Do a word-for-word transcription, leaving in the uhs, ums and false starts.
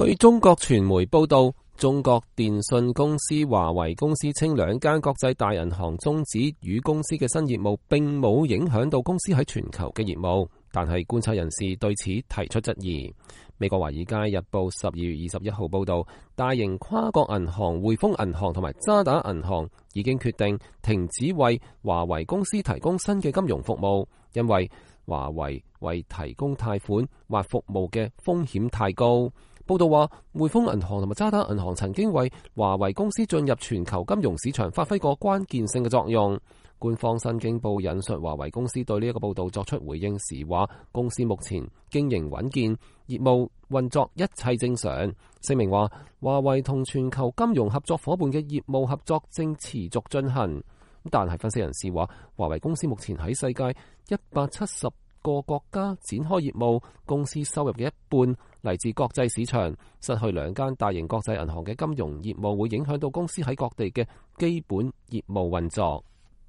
據中國傳媒報道，中國電信公司華為公司稱，兩間國際大銀行終止與公司嘅新業務，並冇影響到公司喺全球嘅業務。但係觀察人士對此提出質疑。美國華爾街日報十二月二十一號報道，大型跨國銀行匯豐銀行同埋渣打銀行已經決定停止為華為公司提供新嘅金融服務，因為華為為提供貸款或服務嘅風險太高。報道話，匯豐銀行同埋渣打銀行曾經為華為公司進入全球金融市場發揮過關鍵性嘅作用。官方新京報引述華為公司對呢一個報道作出回應時話，公司目前經營穩健，業務運作一切正常。聲明話，華為同全球金融合作夥伴嘅業務合作正持續進行。但係分析人士話，華為公司目前喺世界一百七十個國家展開業務，公司收入嘅一半嚟自國際市場，失去兩間大型國際銀行嘅金融業務會影響到公司喺各地嘅基本業務運作。